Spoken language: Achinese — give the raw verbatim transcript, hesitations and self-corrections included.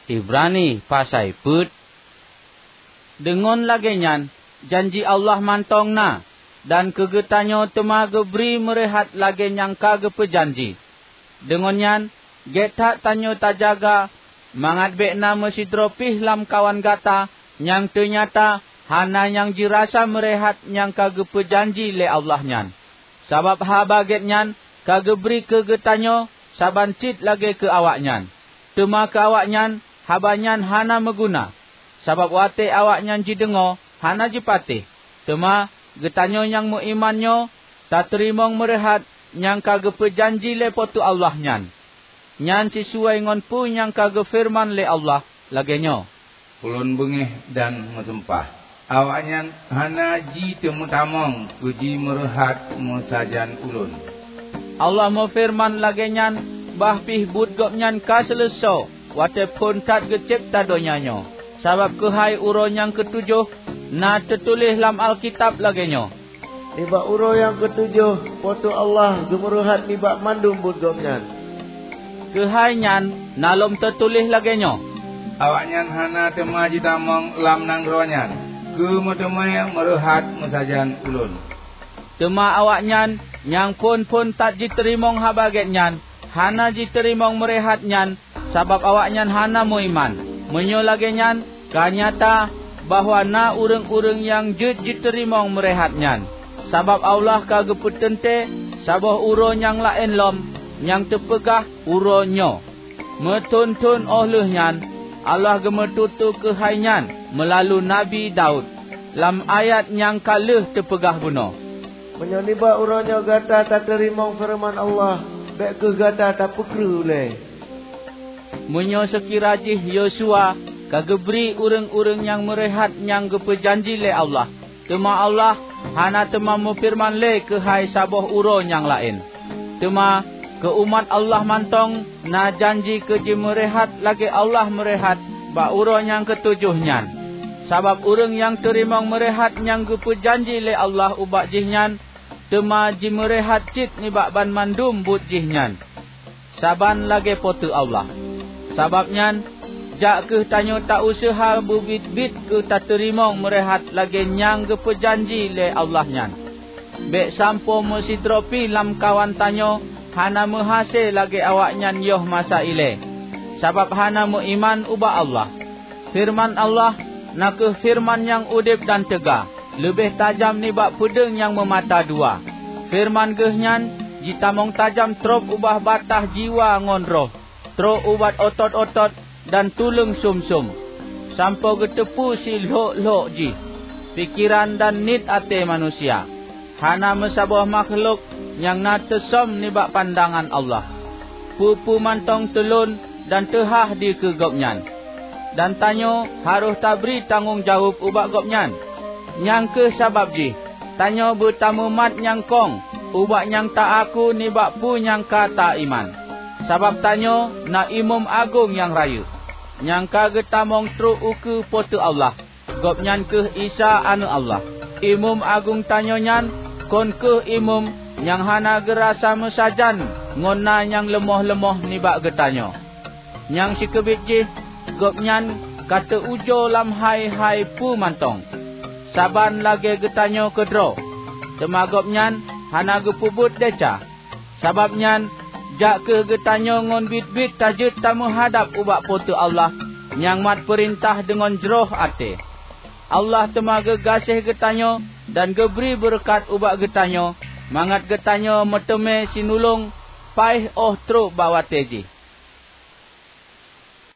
Ibrani pasai peuet. Deungon lagée nyan, janji Allah mantong na, dan keu geutanyoe teuma geubri meureuhat lagée nyang ka geupeujanji. Deungon nyan, gét that tanyoe tajaga mangat bék na meusidroe pih lamkawan gata nyang teunyata hana nyang jirasa meureuhat nyang ka geupeujanji lé Allah nyan. Sabab Haba Gét nyan ka geubri keu geutanyoe saban cit lagée keu awaknyan. Teuma keu awaknyan haba nyan hana meuguna, sabab watée awaknyan jideungoe, hana jipatéh. Teuma geutanyoe nyang meuiman nyoe tateurimong meureuhat nyang ka geupeujanji lé Po teu Allah nyan. Nyan sisuai ngon peue nyang ka geufeureuman lé Allah lagée nyoe, "Ulôn beungéh dan meusumpah, awaknyan hana jiteumeutamong keu jimeureuhat meusajan Ulôn." Allah meufeureuman lagée nyan bah pih buet Gobnyan ka seuleusoe watée phon that geucebta donya nyoe. Sabab keuhai uroe nyang keutujoh na teutuléh lam Alkitab lagée nyoe, "Nibak uroe nyang keutujoh Po teu Allah geumeureuhat nibak mandum buet Gobnyan." Keuhai nyan na lom teutuléh lagée nyoe, "Awaknyan hana teuma jitamong lam nanggroe nyan keu meuteumé meureuhat meusajan Ulôn." Teuma awaknyan nyang phon-phon that jiteurimong Haba Gét nyan hana jiteurimong meureuhat nyan, sabab awaknyan hana meuiman. Meunyoe lagée nyan, ka nyata bahwa na ureuëng-ureuëng nyang jeuet jiteurimong meureuhat nyan, sabab Allah ka geupeuteuntée saboh uroe nyang laén lom nyang teupeugah uroe nyoe. Meuthon-thon óh lheueh nyan, Allah geumeututoe keuhai nyan meulalu Nabi Daud lam ayat nyang ka lheueh teupeugah bunoe, "Meunyoe nibak uroe nyoe gata tateurimong feureuman Allah, bék kheueh gata tapeukreuh ulée." Meunyoe seukira jih Yosua ka geubri ureuëng-ureuëng nyang meureuhat nyang geupeujanji lé Allah, teuma Allah hana teuma meufeureuman lé keuhai saboh uroe nyang laén. Teuma keu umat Allah mantong na janji keu jimeureuhat lagée Allah meureuhat bak uroe nyang keutujoh nyan. Sabab ureuëng nyang teurimong meureuhat nyang geupeujanji lé Allah ubak jih nyan, teuma jimeureuhat cit nibak banmandum buet jih nyan, saban lagée Po teu Allah. Sabab nyan, jak kheueh tanyoe ta-useuha beubiet-biet keu tateurimong meureuhat lagée nyang geupeujanji lé Allah nyan. Bék sampoe meusidroe pih lamkawan tanyoe hana meuhase lagée awaknyan yoh masa ilée, sabab hana meuiman ubak Allah. Feureuman Allah na kheueh feureuman nyang udeb dan teuga, leubeh tajam nibak peudeueng nyang meumata dua. Feureuman Geuh nyan jitamong tajam trôb ubak bataih jiwa ngon roh, trôk ubak otot-otot dan tuleueng sum-sum, sampoe geuteupeue silhok-lhok jih, pikeran dan niet até manusia. Hana meusaboh makhlok nyang na teusöm nibak pandangan Allah. Peue-peue mantong teulon dan teuhah dikeue Gobnyan, dan tanyoe harôh tabri tanggong jaweueb ubak Gobnyan. Nyang kheueh sabab jih tanyoe beutameumat nyang kong ubak nyang ta-aku nibak peue nyang ka ta iman. Sabab tanyoe na Imeum Agong nyang rayeuk, nyang ka geutamong trok ukeue Po teu Allah. Gobnyan kheueh Isa, Aneuëk Allah. Imeum Agong tanyoe nyan kon kheueh imeum nyang hana geurasa meusajan ngon na nyang leumoh-leumoh nibak geutanyoe. Nyang sikeubiet jih, Gobnyan ka teu-ujoe lam hai-hai peue mantong, saban lagée geutanyoe keudroe. Teuma Gobnyan hana geupeubuet desya. Sabab nyan, jak kheueh geutanyoe ngon biet-biet tajeuet tameuhadab ubak Po teu Allah nyang mat peurintah deungon jroh até. Allah teuma geugaséh geutanyoe dan geubri beureukat ubak geutanyoe, mangat geutanyoe meuteumé sinulông paih óh trok bak watée jih.